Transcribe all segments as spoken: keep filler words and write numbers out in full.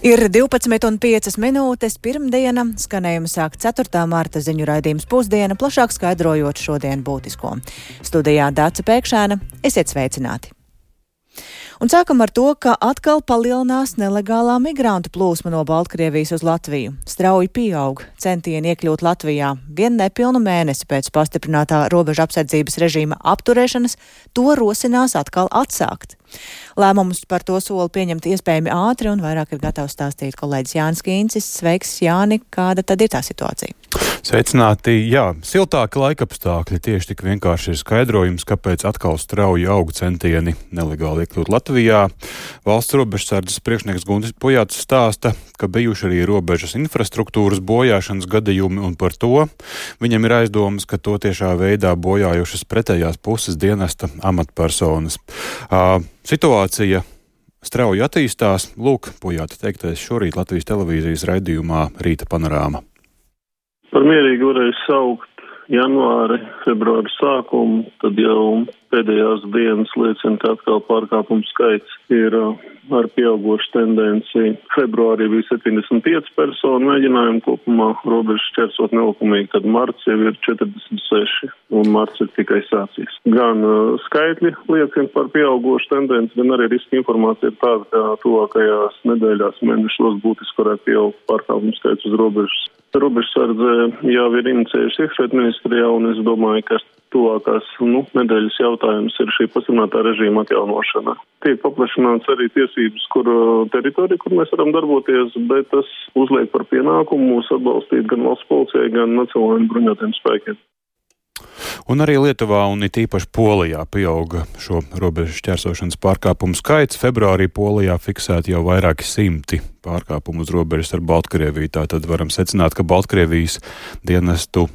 Ir divpadsmit un piecas minūtes pirmdiena, skanējuma sāk ceturtā marta ziņu raidījums Pusdiena, plašāk skaidrojot šodien būtisko. Studijā Dāca Pēkšēna, esiet sveicināti! Un sākam ar to, ka atkal palielinās nelegālā migrantu plūsma no Baltkrievijas uz Latviju. Strauji pieaug centieni iekļūt Latvijā. Vien nepilnu mēnesi pēc pastiprinātā robeža apsardzības režīma apturēšanas to rosinās atkal atsākt. Lēmumus par to soli pieņemt iespējami ātri un vairāk ir gatavs stāstīt kolēģis Jānis Kīncis. Sveiks, Jāni, kāda tad ir tā situācija? Sveicināti, jā, siltāki laikapstākļi tieši tik vienkārši ir skaidrojums, kāpēc atkal strauji aug centieni nelegāli iekļūt Latvijā. Valsts robežsardzes priekšnieks Guntis Pujāts stāsta, ka bijuši arī robežas infrastruktūras bojāšanas gadījumi, un par to viņam ir aizdomas, ka to tiešā veidā bojājušas pretējās puses dienesta amatpersonas. Uh, situācija strauji attīstās. Lūk, Pujāta teiktais šorīt Latvijas televīzijas raidījumā Rīta panorāma. Par mierīgi varēja saukt janvāri, februāri sākumu, tad jau pēdējās dienas liecina, ka atkal pārkāpumu skaits ir ar pieaugošu tendenci. Februārī bija septiņdesmit pieci personu mēģinājumi kopumā robežu šķērsot nelikumīgi, tad marts jau ir četrdesmit seši un marts ir tikai sācies. Gan uh, skaitļi liecina par pieaugošu tendenci, gan arī riska informācija ir tāda, ka tuvākajās nedēļās mēnešos būtiski varētu pieaugt pārkāpumu skaits uz robežas. Robežsardze jau ir inicējuši iekšlietu ministrijā, un es domāju, ka tuvākās nu, nedēļas jautājums ir šī pastiprinātā režīma atjaunošana. Tiek paplašināts arī tiesības, kur teritorija, kur mēs varam darboties, bet tas uzliek par pienākumu mūs atbalstīt gan valsts policijai, gan nacionālajiem bruņotajiem spēkiem. Un arī Lietuvā un it īpaši Polijā pieauga šo robežu šķērsošanas pārkāpumu skaits. Februārī Polijā fiksēti jau vairāki simti pārkāpumu uz robežas ar Baltkrieviju. Tātad varam secināt, ka Baltkrievijas dienestu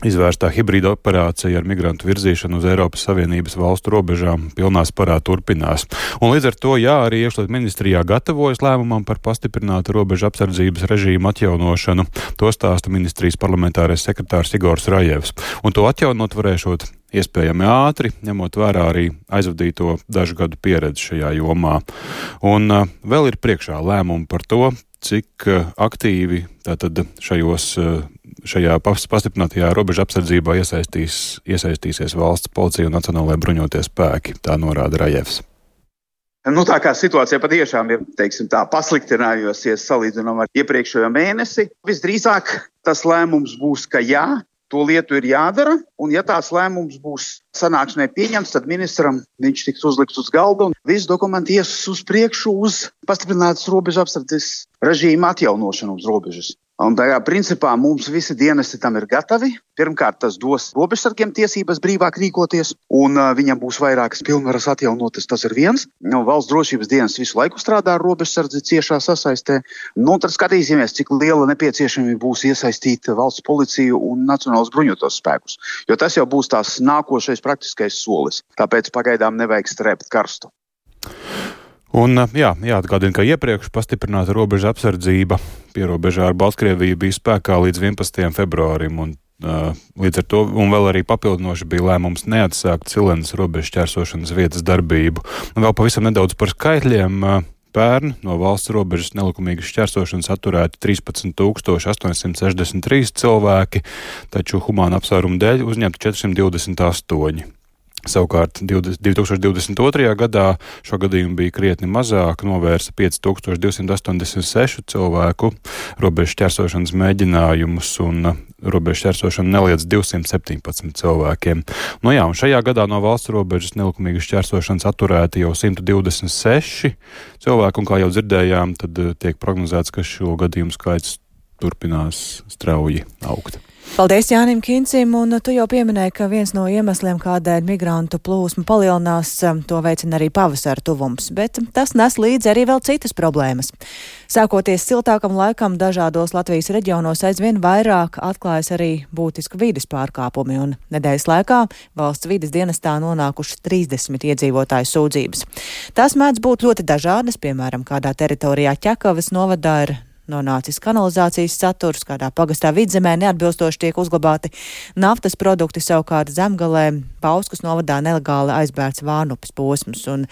izvērstā hibrīda operācija ar migrantu virzīšanu uz Eiropas Savienības valstu robežām pilnā sparā turpinās. Un līdz ar to, jā, arī iekšlietu ministrijā gatavojas lēmumam par pastiprinātu robežu apsardzības režīmu atjaunošanu. To stāsta ministrijas parlamentārais sekretārs Igors Rajevs. Un to atjaunot varēšot iespējami ātri, ņemot vērā arī aizvadīto dažu gadu pieredzi šajā jomā. Un uh, vēl ir priekšā lēmumi par to, cik uh, aktīvi tātad šajos uh, šajā pastiprinātajā robeža apsardzībā iesaistīs, iesaistīsies valsts policija un nacionālajie bruņotie spēki, tā norāda Rajevs. Nu, tā kā situācija patiešām ir, teiksim tā, pasliktinājusies salīdzinām ar iepriekšējo mēnesi, visdrīzāk tas lēmums būs, ka jā, to lietu ir jādara, un ja tās lēmums būs sanāksmē pieņemts, tad ministram viņš tiks uzlikts uz galda un visi dokumenti ies uz priekšu uz pastiprinātas robeža apsardzes režīma atjaunošanu uz robežas. Un tā kā principā mums visi dienesti tam ir gatavi. Pirmkārt, tas dos robežsargiem tiesības brīvāk rīkoties, un uh, viņam būs vairākas pilnvaras atjaunotas, tas ir viens. Nu, valsts drošības dienas visu laiku strādā ar robežsardzi ciešā sasaistē. Nu, tad skatīsimies, cik liela nepieciešamība būs iesaistīt valsts policiju un nacionālos bruņotos spēkus. Jo tas jau būs tās nākošais praktiskais solis. Tāpēc pagaidām nevajag strēpt karstu. Un jā, jāatgādina, ka iepriekš pastiprināta robeža apsardzība pierobežā ar Baltkrieviju bija spēkā līdz vienpadsmitajam februārim, un uh, līdz ar to, un vēl arī papildinoši bija lēmums neatsākt Cilenes robežas šķērsošanas vietas darbību. Un vēl pavisam nedaudz par skaitļiem. Uh, Pērn no valsts robežas nelikumīgas šķērsošanas atturēti trīspadsmit tūkstoši astoņsimt sešdesmit trīs cilvēki, taču humāna apsvērumu dēļ uzņemti četri simti divdesmit astoņi. Savukārt divi tūkstoši divdesmit otrajā gadā šo gadījumu bija krietni mazāk, novērsa pieci tūkstoši divsimt astoņdesmit seši cilvēku robežu šķērsošanas mēģinājumus, un robežu šķērsošana neliedz divsimt septiņpadsmit cilvēkiem. Nu jā, un šajā gadā no valsts robežas nelikumīgas šķērsošanas atturēti jau simt divdesmit seši cilvēki, un kā jau dzirdējām, tad tiek prognozēts, ka šo gadījumu skaits turpinās strauji augt. Paldies Jānim Kincim, un tu jau pieminēji, ka viens no iemesliem, kādēļ migrantu plūsma palielinās, to veicina arī pavasara tuvums, bet tas nes līdzi arī vēl citas problēmas. Sākoties siltākam laikam, dažādos Latvijas reģionos aizvien vairāk atklājas arī būtiski vides pārkāpumi, un nedēļas laikā valsts vides dienestā nonākušas trīsdesmit iedzīvotāju sūdzības. Tās mēdz būt ļoti dažādas, piemēram, kādā teritorijā Ķekavas novadā ir nonācis kanalizācijas saturs, kādā pagastā Vidzemē neatbilstoši tiek uzglabāti naftas produkti, savukārt Zemgalē Pauskas novadā nelegāli aizbērts Vārnupes posms. Un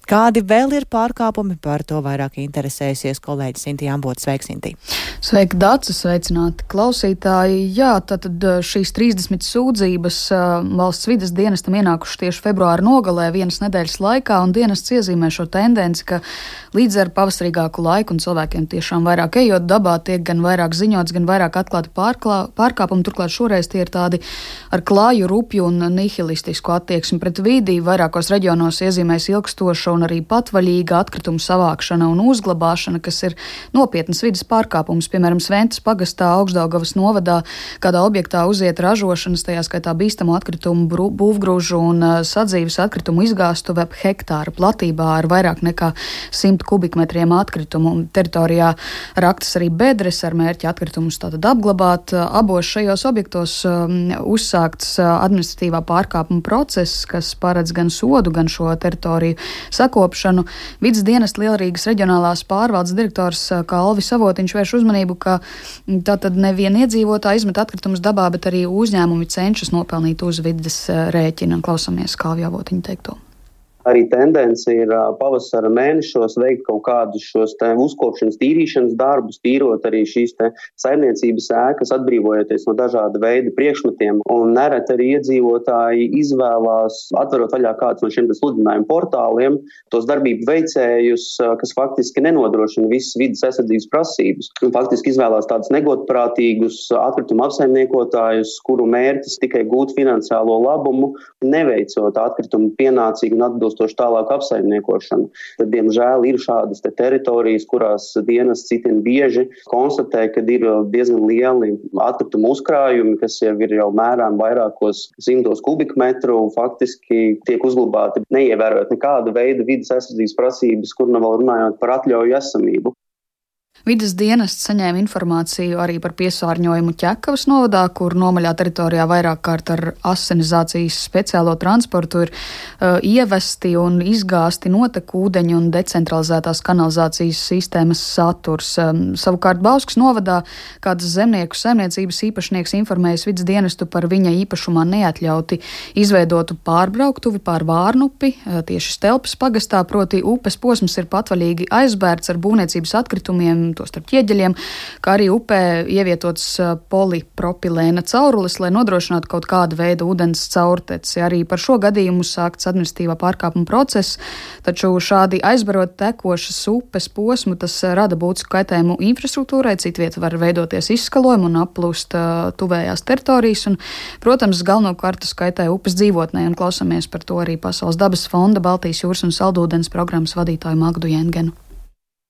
Kādi vēl ir pārkāpumi? Par to vairāk interesēsies kolēģis Sintī Ambota. Sveiki, Sintī! Sveiki, Dāca, sveicināti klausītāji. Jā, tātad šīs trīsdesmit sūdzības valsts vides dienestam ienākušas tieši februāra nogalē vienas nedēļas laikā, un dienests iezīmē šo tendenci, ka līdz ar pavasarīgāku laiku un cilvēkiem tiešām vairāk ejot dabā tiek gan vairāk ziņots, gan vairāk atklāti pārklā, pārkāpumi. Turklāt šoreiz tie ir tādi ar klāju, rupju un nihilistisku attieksmi pret vidi. Vairākos reģionos iezīmēs ilgstoša un arī patvaļīga atkritumu savākšana un uzglabāšana, kas ir nopietnas vides pārkāpums. Piemēram, Sventas pagastā Augšdaugavas novadā kādā objektā uziet ražošanas, tajā skaitā bīstamo atkritumu, būvgrūžu un sadzīves atkritumu izgāstuve ap hektāra platībā ar vairāk nekā simt kubikmetriem atkritumu. Teritorijā raktas arī bedres ar mērķi atkritumus tātad apglabāt. Abos šajos objektos um, uzsākts administratīvā pārkāpuma process, kas paredz gan sodu, gan šo teritoriju sakopšanu. Vides dienesta Lielrīgas reģionālās pārvaldes direktors Kalvis Avotiņš vērš uzmanību, ka tātad nevien iedzīvotāji izmet atkritumus dabā, bet arī uzņēmumi cenšas nopelnīt uz vides rēķina. Klausamies Kalvi Avotiņu teikto. Arī tendence ir pavasara mēnešos veikt kaut kādus šos te uzkopšanas tīrīšanas darbus, tīrot arī šīs te saimniecības ēkas, atbrīvojoties no dažāda veida priekšmetiem. Un nereti arī iedzīvotāji izvēlās, atverot vaļā kāds no šiem sludinājumu portāliem, tos darbību veicējus, kas faktiski nenodrošina visas vides aizsardzības prasības. Un faktiski izvēlās tādus negodprātīgus atkritumu apsaimniekotājus, kuru mērķis tikai gūt finansiālo labumu, neveicot atkritumu pienācīgu un atbilstošu tālāku apsaimniekošanu. Tad, diemžēl, ir šādas te teritorijas, kurās dienas citin bieži konstatē, ka ir diezgan lieli atkritumu uzkrājumi, kas jau ir jau mērām vairākos simtos kubikmetru, faktiski tiek uzglabāti, neievērojot nekāda veida vides aizsardzības prasības, kur nav vēl runājot par atļauju esamību. Vides dienests saņēma informāciju arī par piesārņojumu Ķekavas novadā, kur nomaļā teritorijā vairāk kārt ar asinizācijas speciālo transportu ir uh, ievesti un izgāsti notekūdeņu un decentralizētās kanalizācijas sistēmas saturs. Um, savukārt Bauskas novadā kāds zemnieku saimniecības īpašnieks informējas vides dienestu par viņa īpašumā neatļauti izveidotu pārbrauktuvi pār Vārnupi, uh, tieši Stelpas pagastā, proti upes posms ir patvaļīgi aizbērts ar būvniecības atkritumiem, to starp ķieģeļiem, kā arī upē ievietots polipropilēna caurulis, lai nodrošinātu kaut kādu veidu ūdens caurteci. Arī par šo gadījumu sākts administratīvā pārkāpuma process, taču šādi aizbarot tekošas upes posmu, tas rada būtisku kaitējumu infrastruktūrai, citvieta var veidoties izskalojumu un aplūst uh, tuvējās teritorijas, un, protams, galvenokārt tas kaitē upes dzīvotnē, un klausamies par to arī Pasaules dabas fonda Baltijas jūras un saldūdens programmas vadītāju Magdu Jengenu.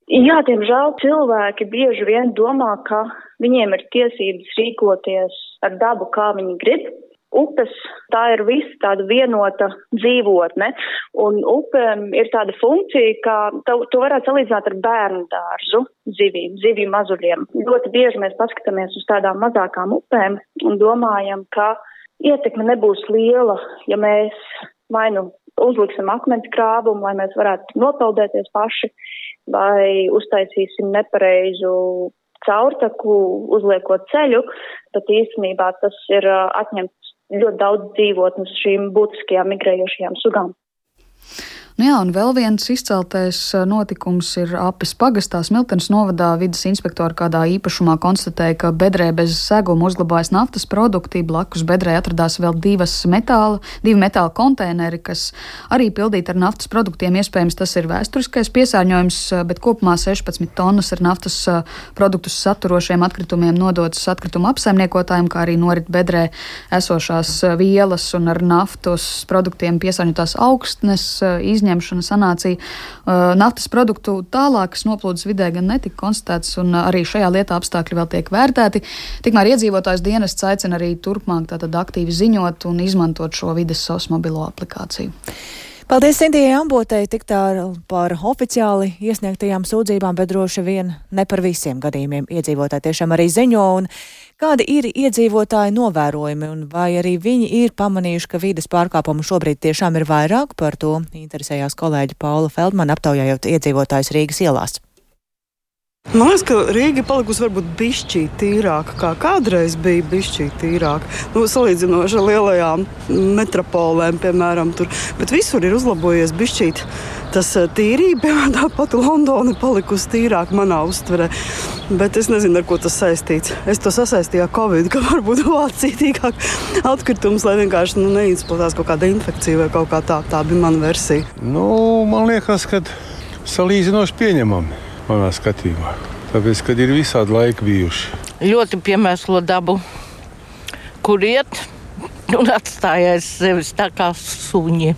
Jā, diemžēl cilvēki bieži vien domā, ka viņiem ir tiesības rīkoties ar dabu, kā viņi grib. Upes, tā ir visa tāda vienota dzīvotne, un upēm ir tāda funkcija, ka to, to varētu salīdzināt ar bērnu dārzu zivīm, zivju mazuļiem. Ļoti bieži mēs paskatāmies uz tādām mazākām upēm un domājam, ka ietekme nebūs liela, ja mēs vai nu uzliksim akmens krāvumu, lai mēs varētu nopeldēties paši, vai uztaisīsim nepareizu caurtaku, uzliekot ceļu, tad īstenībā tas ir atņemts ļoti daudz dzīvotnes šīm būtiskajām migrējošajām sugām. Nu jā, un vēl viens izceltais notikums ir Apes pagastā. Smiltenes novadā vides inspektori kādā īpašumā konstatēja, ka bedrē bez seguma uzglabājas naftas produkti. Blakus bedrē atradās vēl divas metāla, divi metāla konteineri, kas arī pildīti ar naftas produktiem. Iespējams, tas ir vēsturiskais piesārņojums, bet kopumā sešpadsmit tonnas ar naftas produktus saturošiem atkritumiem nodotas atkritumu apsaimniekotājiem, kā arī norit bedrē esošās vielas un ar naftas produktiem piesārņotās augstnes izņemšanas. Ņemšana sanācija uh, naftas produktu tālākas noplūdes vidē gan netika konstatētas, un arī šajā lietā apstākļi vēl tiek vērtēti. Tikmēr iedzīvotājs dienests aicina arī turpmāk tātad aktīvi ziņot un izmantot šo vides S O S mobilo aplikāciju. Paldies Sintijai Ambotei tik tālu par oficiāli iesniegtajām sūdzībām, bet droši vien ne par visiem gadījumiem iedzīvotāji tiešām arī ziņo. Un kādi ir iedzīvotāji novērojumi un vai arī viņi ir pamanījuši, ka vides pārkāpumu šobrīd tiešām ir vairāk? Par to interesējās kolēģi Paula Feldmana, aptaujājot iedzīvotājus Rīgas ielās. Man liekas, ka Rīga palikusi varbūt bišķīt tīrāka, kā kādreiz bija bišķīt tīrāka. Nu, salīdzinoši ar lielajām metropolēm, piemēram, tur. Bet visur ir uzlabojies bišķīt tas tīrība, piemēram, tāpat Londona palikusi tīrāka manā uztverē. Bet es nezinu, ar ko tas saistīts. Es to sasaistīju ar Covid, ka varbūt Vācija tīkāk atkritums, lai vienkārši nu, neizplatās kaut kāda infekcija vai kaut kā tā. Tā bija mana versija. Nu, man liekas, ka salīdzinoši pieņemami. Manā skatījumā. Tāpēc, kad ir visādi laiki bijuši. Ļoti piemēslo dabu, kur iet un atstājais sevis tā kā suņi.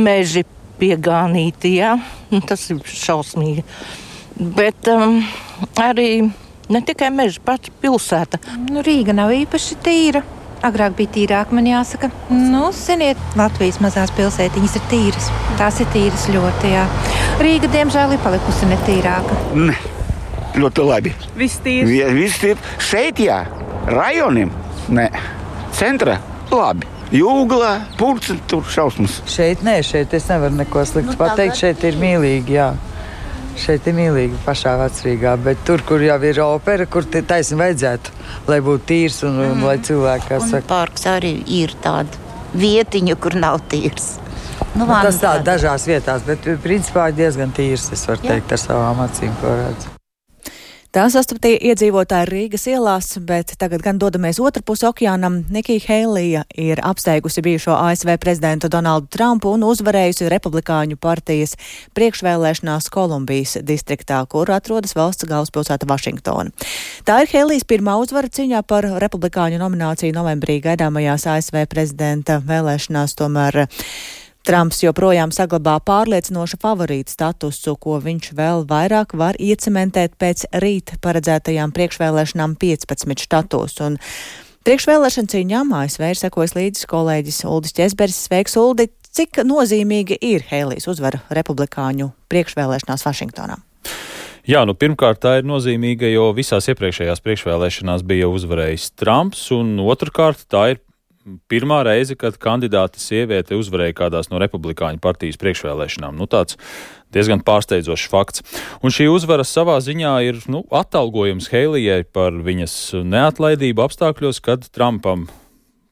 Meži piegānīti, jā, tas ir šausmīgi. Bet um, arī ne tikai meži, pats pilsēta. Nu, Rīga nav īpaši tīra. Agrāk bija tīrāk, man jāsaka. Nu, ziniet, Latvijas mazās pilsētiņas ir tīras. Tās ir tīras ļoti, jā. Rīga, diemžēl, ir palikusi netīrāka. Ne, ļoti labi. Viss tīrs? Viss tīrs. Šeit, jā, rajoniem, ne, centra, labi. Jūglā, purci, tur šausmas. Šeit nē, šeit es nevaru neko sliktu nu, pateikt. Šeit ir mīlīgi, jā. Šeit ir mīlīgi pašā Vecrīgā, bet tur, kur jau ir opera, kur taisni vajadzētu, lai būtu tīrs un, mm. un lai cilvēki, kā saka. Un parks arī ir tāda vietiņa, kur nav tīrs. Nu, nu, tas tā dažās vietās, bet principā diezgan tīrs, es varu Jā. teikt ar savām acīm, ko redzu. Tā sastaptīja iedzīvotāji Rīgas ielās, bet tagad gan dodamies otrpus okeānam. Nikija Heilija ir apsteigusi bijušo A S V prezidentu Donaldu Trumpu un uzvarējusi Republikāņu partijas priekšvēlēšanās Kolumbijas distriktā, kur atrodas valsts galvaspilsēta Vašingtona. Tā ir Heilijas pirmā uzvara cīņā par Republikāņu nomināciju novembrī gaidāmajās A S V prezidenta vēlēšanās, tomēr Trumps joprojām saglabā pārliecinošu favorītu statusu, ko viņš vēl vairāk var iecementēt pēc rīt paredzētajām priekšvēlēšanām piecpadsmit štatos. Un priekšvēlēšana cīņām A S V ir sekojis līdzi kolēģis Uldis Ķesberis. Sveiks, Uldi! Cik nozīmīgi ir Heilijas uzvara Republikāņu priekšvēlēšanās Vašingtonā? Jā, nu pirmkārt tā ir nozīmīga, jo visās iepriekšējās priekšvēlēšanās bija uzvarējis Trumps, un otrkārt tā ir pirmā reize, kad kandidāte sieviete uzvarēja kādās no Republikāņu partijas priekšvēlēšanām. Nu, tāds diezgan pārsteidzošs fakts. Un šī uzvara savā ziņā ir nu, atalgojums Heilijai par viņas neatlaidību apstākļos, kad Trumpam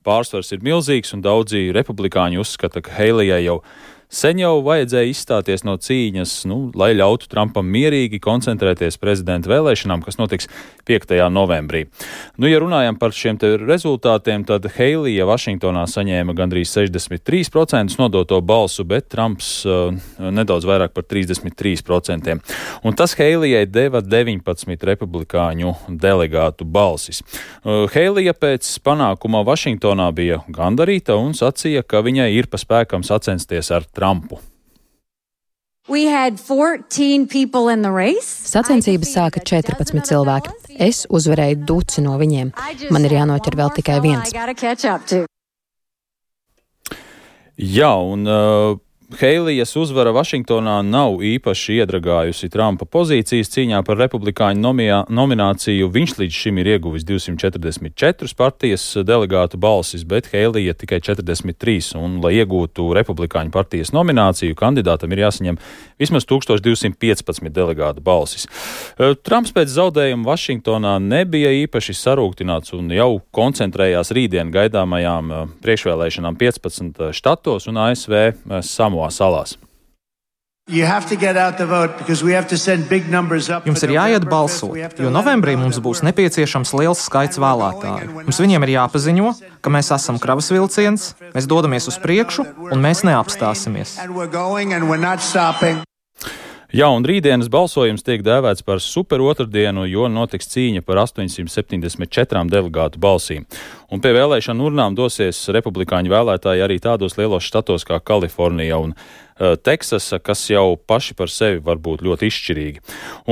pārsvars ir milzīgs un daudzi republikāņi uzskata, ka Heilijai jau sen jau vajadzēja izstāties no cīņas, nu, lai ļautu Trumpam mierīgi koncentrēties prezidenta vēlēšanām, kas notiks piektajā novembrī. Nu, ja runājam par šiem te rezultātiem, tad Heilija Vašingtonā saņēma gandrīz sešdesmit trīs procentus nodoto balsu, bet Trumps uh, nedaudz vairāk par trīsdesmit trīs procentiem. Un tas Heilijai deva deviņpadsmit republikāņu delegātu balsis. Uh, Heilija pēc panākuma Vašingtonā bija gandarīta un sacīja, ka viņai ir pa spēkam sacensties ar Trumpu. Sacensības sāka četrpadsmit cilvēki. Es uzvarēju duci no viņiem. Man ir jānoķer vēl tikai viens. Jā, un uh, Heilijas uzvara Vašingtonā nav īpaši iedragājusi Trumpa pozīcijas cīņā par republikāņu nomijā, nomināciju. Viņš līdz šim ir ieguvis divsimt četrdesmit četras partijas delegātu balsis, bet Heilija tikai četrdesmit trīs. Un, lai iegūtu republikāņu partijas nomināciju, kandidātam ir jāsaņem vismaz tūkstoš divsimt piecpadsmit delegātu balsis. Trumps pēc zaudējuma Vašingtonā nebija īpaši sarūktināts un jau koncentrējās rītdien gaidāmajām priekšvēlēšanām piecpadsmit štatos un A S V Samoā salās. Jums ir jāiet balsot, jo novembrī mums būs nepieciešams liels skaits vēlētāju. Mums viņiem ir jāpaziņo, ka mēs esam kravas vilciens, mēs dodamies uz priekšu un mēs neapstāsimies. Jā, un rītdienas balsojums tiek dēvēts par super otrdienu, jo notiks cīņa par astoņsimt septiņdesmit četrām delegātu balsīm. Un pie vēlēšanu urnām dosies republikāņu vēlētāji arī tādos lielos štatos kā Kalifornija un uh, Teksasa, kas jau paši par sevi var būt ļoti izšķirīgi.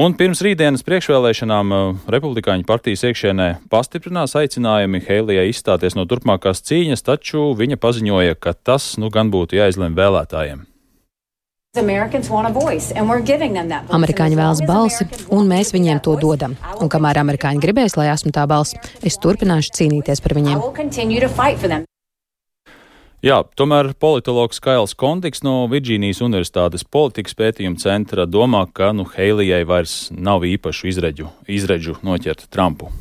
Un pirms rītdienas priekšvēlēšanām uh, republikāņu partijas iekšienē pastiprinās aicinājumi Heilijai izstāties no turpmākās cīņas, taču viņa paziņoja, ka tas nu gan būtu jāizlem vēlētājiem. Amerikāņi vēlas balsi, un mēs viņiem to dodam. Un kamēr amerikāņi gribēs, lai esmu tā balss, es turpināšu cīnīties par viņiem. Jā, tomēr politologs Kails Kontiks no Virģīnijas Universitātes politikas pētījuma centra domā, ka nu, Heilijai vairs nav īpašu izredžu, izredžu noķert Trumpu.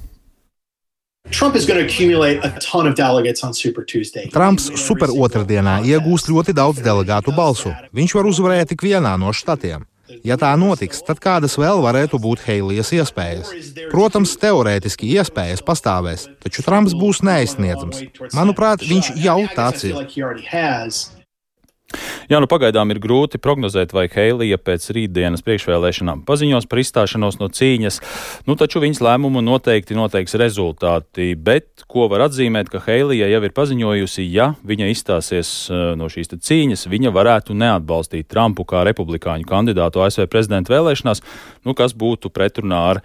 Trumps super otrdienā iegūs ļoti daudz delegātu balsu. Viņš var uzvarēt tik vienā no štatiem. Ja tā notiks, tad kādas vēl varētu būt Heilijas iespējas? Protams, teorētiski iespējas pastāvēs, taču Trumps būs neaizsniedzams. Manuprāt, viņš jau tāds ir. Jā, nu pagaidām ir grūti prognozēt, vai Heilija pēc rītdienas priekšvēlēšanām paziņos par izstāšanos no cīņas, nu taču viņas lēmumu noteikti noteiks rezultāti, bet ko var atzīmēt, ka Heilija jau ir paziņojusi, ja viņa izstāsies no šīs cīņas, viņa varētu neatbalstīt Trumpu kā republikāņu kandidātu A S V prezidenta vēlēšanās, nu kas būtu pretrunā ar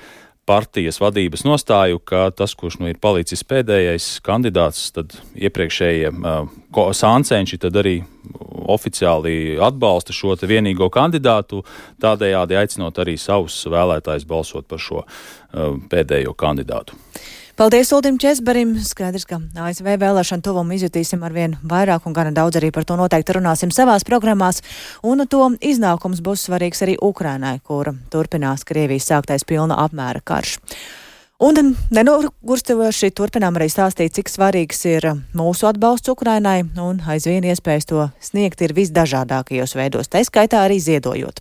partijas vadības nostāju, ka tas, kurš nu ir palicis pēdējais kandidāts, tad iepriekšējie uh, sāncenši tad arī oficiāli atbalsta šo te vienīgo kandidātu, tādējādi aicinot arī savus vēlētājus balsot par šo uh, pēdējo kandidātu. Paldies Uldim Česberim. Skaidrs, ka A S V vēlēšanu tuvumu izjutīsim arvien vairāk un gana daudz arī par to noteikti runāsim savās programmās. Un to iznākums būs svarīgs arī Ukrainai, kura turpinās Krievijas sāktais pilna apmēra karš. Un nenogurstoši turpinām arī stāstīt, cik svarīgs ir mūsu atbalsts Ukrainai un aizvien iespējas to sniegt ir visdažādākajos veidos, tā skaitā arī ziedojot.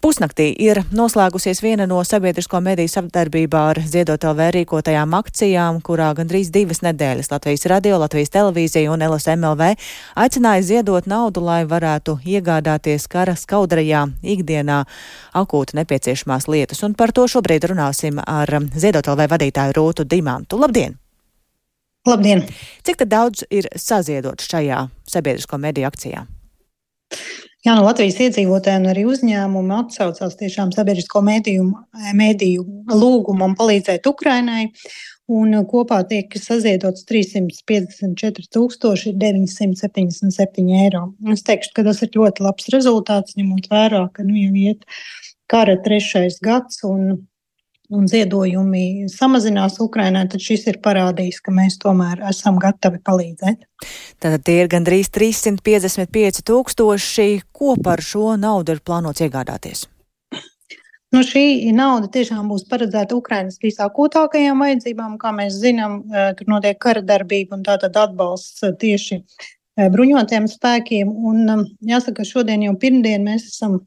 Pusnaktī ir noslēgusies viena no sabiedrisko mediju sadarbībā ar Ziedot L V rīkotajām akcijām, kurā gandrīz divas nedēļas Latvijas radio, Latvijas televīzija un L S M L V aicināja ziedot naudu, lai varētu iegādāties kara skaudrajā ikdienā akūti nepieciešamās lietas. Un par to šobrīd runāsim ar Ziedot L V vadītāju Rūtu Dimantu. Labdien! Labdien! Cik tad daudz ir saziedots šajā sabiedrisko mediju akcijā? Jā, no Latvijas iedzīvotājiem arī uzņēmumi atsaucās tiešām sabiedrisko mediju, mediju lūgumam palīdzēt Ukrainai, un kopā tiek saziedots trīssimt piecdesmit četri tūkstoši deviņsimt septiņdesmit septiņi eiro. Es teikšu, ka tas ir ļoti labs rezultāts, ņemot vērā, ka nu jau iet kara trešais gads un un ziedojumi samazinās Ukrainai, tad šis ir parādījis, ka mēs tomēr esam gatavi palīdzēt. Tātad tie ir gandrīz trīssimt piecdesmit pieci tūkstoši. Ko par šo naudu ir plānots iegādāties? Nu, šī nauda tiešām būs paredzēta Ukrainas visākūtākajām vajadzībām. Kā mēs zinām, tur notiek kara darbība un tātad atbalsts tieši bruņotiem spēkiem. Un jāsaka, šodien jau pirmdien mēs esam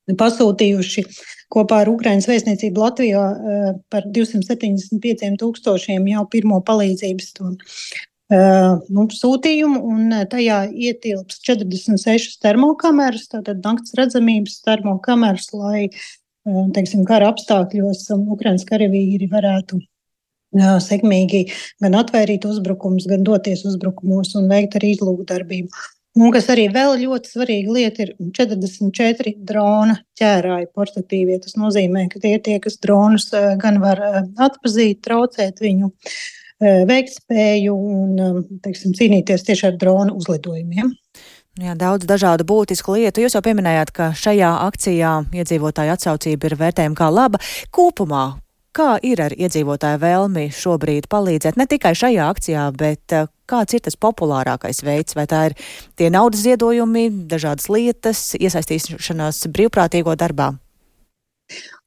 pasūtījuši kopā ar Ukrainas vēstniecību Latvijā par divsimt septiņdesmit pieciem tūkstošiem jau pirmo palīdzības to, nu, sūtījumu, un tajā ietilps četrdesmit sešas termokameras, tātad nakts redzamības termokameras, lai, teiksim, kara apstākļos Ukrainas karavīri varētu jā, sekmīgi gan atvairīt uzbrukums, gan doties uzbrukumos un veikt arī izlūkdarbību. Un kas arī vēl ļoti svarīga lieta ir četrdesmit četri drona ķērāji portatīvie. Tas nozīmē, ka tie tie, kas dronus gan var atpazīt, traucēt viņu veiktspēju un, teiksim, cīnīties tieši ar dronu uzlidojumiem. Jā, daudz dažādu būtisku lietu. Jūs jau pieminējāt, ka šajā akcijā iedzīvotāju atsaucība ir vērtējama kā laba. Kopumā, kā ir ar iedzīvotāju vēlmi šobrīd palīdzēt ne tikai šajā akcijā, bet kāds ir tas populārākais veids? Vai tā ir tie naudas ziedojumi, dažādas lietas, iesaistīšanās brīvprātīgo darbā?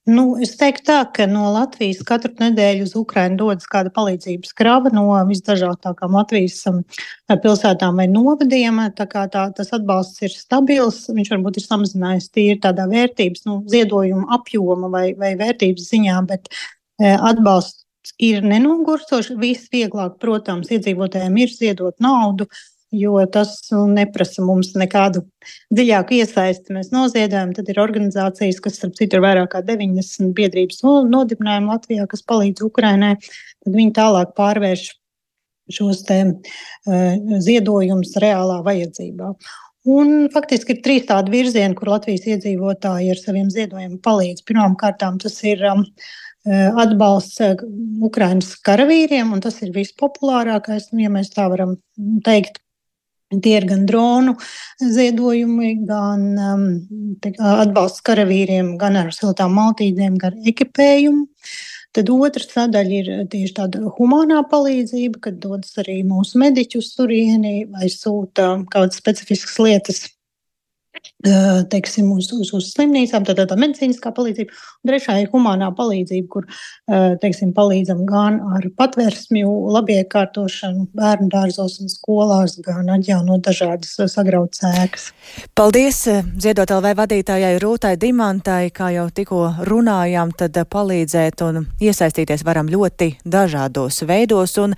Nu, es teiktu tā, ka no Latvijas katru nedēļu uz Ukrainu dodas kāda palīdzības krava no visdažādākām Latvijas pilsētām vai novadiem. Tā kā tā, tas atbalsts ir stabils, viņš varbūt ir samazinājies tīri tādā vērtības, nu, ziedojuma apjoma vai, vai vērtības ziņā, bet e, atbalsts ir nenogurstoši. Visvieglāk, protams, iedzīvotājiem ir ziedot naudu, jo tas neprasa mums nekādu dziļāku iesaisti. Mēs noziedojam, tad ir organizācijas, kas, starp citu, ir vairāk kā deviņdesmit biedrības nodibinājumi Latvijā, kas palīdz Ukrainai, tad viņi tālāk pārvērš šos te uh, ziedojumus reālā vajadzībā. Un faktiski ir trīs tādi virzieni, kur Latvijas iedzīvotāji ar saviem ziedojumiem palīdz. Pirmām kārtām tas ir um, atbalsts Ukrainas karavīriem, un tas ir vispopulārākais, ja mēs tā varam teikt. Tie ir gan dronu ziedojumi, gan um, te, atbalsts karavīriem, gan ar siltām maltītēm, gan ekipējumu. Tad otra sadaļa ir tieši tāda humānā palīdzība, kad dodas arī mūsu mediķi uz turieni vai sūta kādas specifiskas lietas, teiksim, uz, uz, uz slimnīcām, tā, tā, tā medicīniskā palīdzība. Un trešā ir humānā palīdzība, kur, teiksim, palīdzam gan ar patversmju labiekārtošanu bērnu dārzos un skolās, gan atjaunot dažādas sagrautas ēkas. Paldies Ziedot L V vadītājai Rūtai Dimantai, kā jau tikko runājām, tad palīdzēt un iesaistīties varam ļoti dažādos veidos, un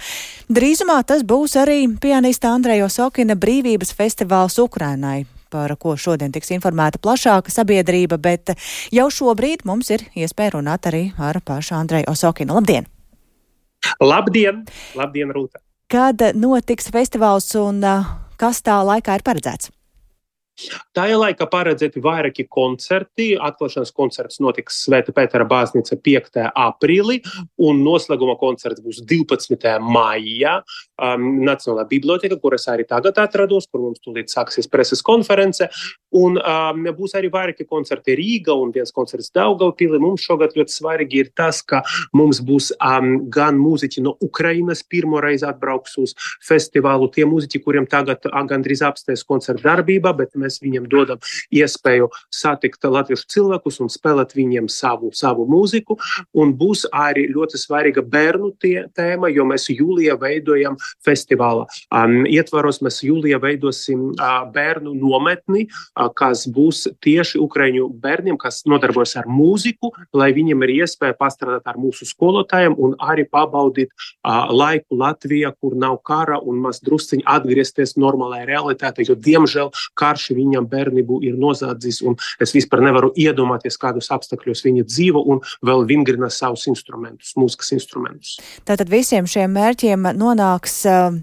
drīzumā tas būs arī pianista Andreja Osokina brīvības festivāls Ukrainai, par ko šodien tiks informēta plašāka sabiedrība, bet jau šobrīd mums ir iespēja runāt arī ar pašu Andreju Osokinu. Labdien! Labdien! Labdien, Rūta! Kad notiks festivāls un kas tā laikā ir paredzēts? Tajā laikā paredzēti vairāki koncerti. Atklāšanas koncerts notiks Svētā Pētera baznīca piektajā aprīlī, un noslēguma koncerts būs divpadsmitajā maijā um, Nacionālā biblioteka, kur es arī tagad atrados, kur mums tūlīt sāksies preses konference. Un um, būs arī vairāki koncerti Rīga un viens koncerts Daugavpilī. Mums šogad ļoti svarīgi ir tas, ka mums būs um, gan mūziķi no Ukrainas pirmo reizi atbrauks uz festivālu. Tie mūziķi, kuriem tagad gandrīz apstājas koncerta darbība, bet mēs viņiem dodam iespēju satikt latviešu cilvēkus un spēlēt viņiem savu, savu mūziku. Un būs arī ļoti svarīga bērnu tie, tēma, jo mēs jūlijā veidojam festivāla. Um, ietvaros mēs jūlijā veidosim uh, bērnu nometni, uh, kas būs tieši ukraiņu bērniem, kas nodarbojas ar mūziku, lai viņiem ir iespēja pastrādāt ar mūsu skolotājiem un arī pabaudīt uh, laiku Latvijā, kur nav kara, un maz drusciņi atgriezties normālajā realitātē, jo diemžēl karš viņam bērnību ir nozādzis, un es vispār nevaru iedomāties, kādos apstākļos viņi dzīvo un vēl vingrina savus instrumentus, mūzikas instrumentus. Tātad visiem šiem mērķiem nonāks uh,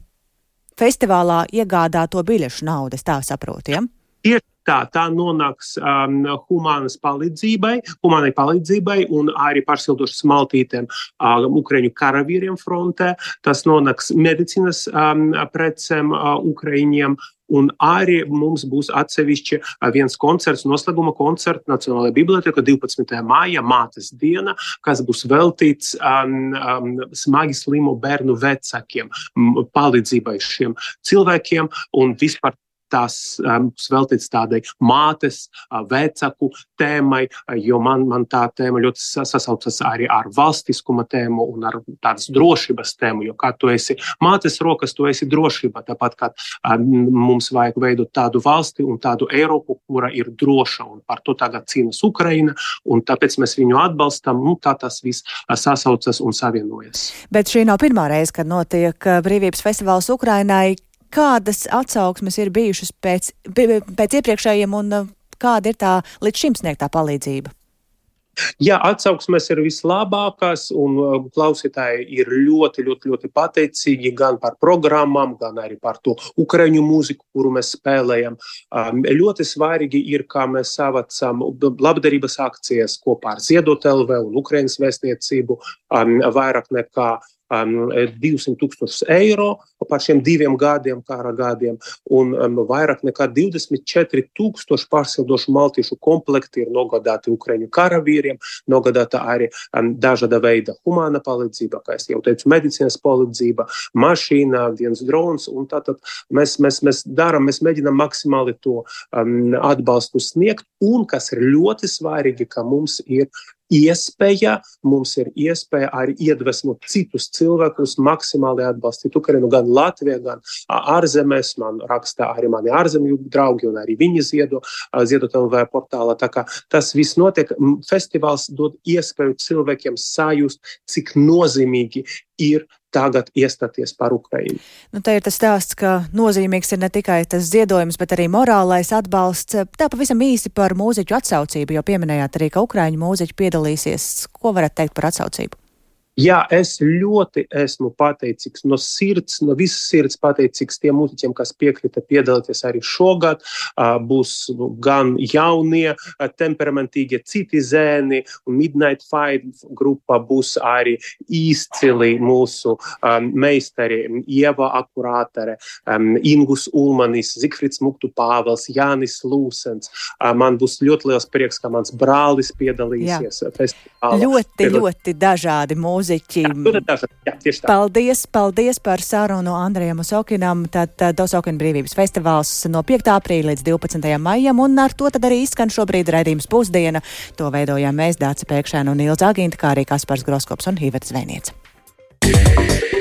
festivālā iegādāto biļešu naudas, tā saprotu, ja? Tieši tā, tā nonāks um, humānas palīdzībai, humānai palīdzībai un arī pārsildošas maltītēm um, Ukraiņu karavīriem frontē. Tas nonāks medicīnas um, precēm uh, Ukraiņiem. Un arī mums būs atsevišķi viens koncerts, noslēguma koncerts Nacionālajā biblioteka divpadsmitajā maijā, mātes diena, kas būs veltīts um, um, smagi slimu bērnu vecākiem, palīdzībai šiem cilvēkiem un vispār tās um, veltīts tādai mātes, uh, vecāku tēmai, uh, jo man, man tā tēma ļoti sasaucas arī ar valstiskuma tēmu un ar tādas drošības tēmu, jo kā tu esi mātes rokas, tu esi drošība, tāpat kā um, mums vajag veidot tādu valsti un tādu Eiropu, kura ir droša, un par to tagad cīnas Ukraina, un tāpēc mēs viņu atbalstam, nu tā tas viss uh, sasaucas un savienojas. Bet šī nav pirmā reize, kad notiek brīvības festivāls Ukrainai. Kādas atsauksmes ir bijušas pēc, pēc iepriekšējiem un kāda ir tā līdz šim sniegtā palīdzība? Jā, atsauksmes ir vislabākās un klausītāji ir ļoti, ļoti, ļoti pateicīgi gan par programmām, gan arī par to ukraiņu mūziku, kuru mēs spēlējam. Um, ļoti svarīgi ir, kā mēs savacam labdarības akcijas kopā ar Ziedot L V un Ukrainas vēstniecību um, vairāk nekā Um, divsimt tūkstošus eiro par šiem diviem gadiem, kara gadiem, un um, vairāk nekā divdesmit četri tūkstoši pārsildošu maltīšu komplekti ir nogādāti Ukraiņu karavīriem, nogādāta arī um, dažāda veida humāna palīdzība, kā es jau teicu, medicīnas palīdzība, mašīna, viens drons, un tātad mēs, mēs, mēs darām, mēs mēģinām maksimāli to um, atbalstu sniegt, un kas ir ļoti svarīgi, ka mums ir iespēja, mums ir iespēja arī iedvesmot citus cilvēkus maksimāli atbalstīt Ukrainu gan Latvijā, gan ārzemēs. Man rakstā arī mani ārzemju draugi un arī viņi ziedo, Ziedot L V portālā. Tā kā tas viss notiek, festivāls dod iespēju cilvēkiem sajust, cik nozīmīgi ir tagad iestāties par Ukrainu. Nu, tā ir tas stāsts, ka nozīmīgs ir ne tikai tas ziedojums, bet arī morālais atbalsts. Tā pavisam īsi par mūziķu atsaucību, jo pieminējāt arī, ka ukraiņu mūziķi piedalīsies. Ko varat teikt par atsaucību? Jā, es ļoti esmu pateicīgs no sirds, no visas sirds pateicīgs tiem mūziķiem, kas piekrita piedalīties arī šogad. Būs nu, gan jaunie, temperamentīgie citi zēni, un Midnight Fight grupa būs arī izcili mūsu um, meistari Ieva Akurātere, um, Ingus Ulmanis, Zigfrids Muktu Pāvels, Jānis Lūsens. Uh, man būs ļoti liels prieks, ka mans brālis piedalīsies festivālā. Ļoti, Piedal... ļoti dažādi mūziķi. Jā, jā, tieši tā. Paldies, paldies par sarunu Andrejam Osokinam. Tad Osokina brīvības festivāls no piekta aprīļa līdz divpadsmitajam maijam, un ar to tad arī izskan šobrīd raidījums Pusdiena. To veidojām mēs, Dāca Pēkšēna un Ilza Agīnta, kā arī Kaspars Groskops un Iveta Zvēniece.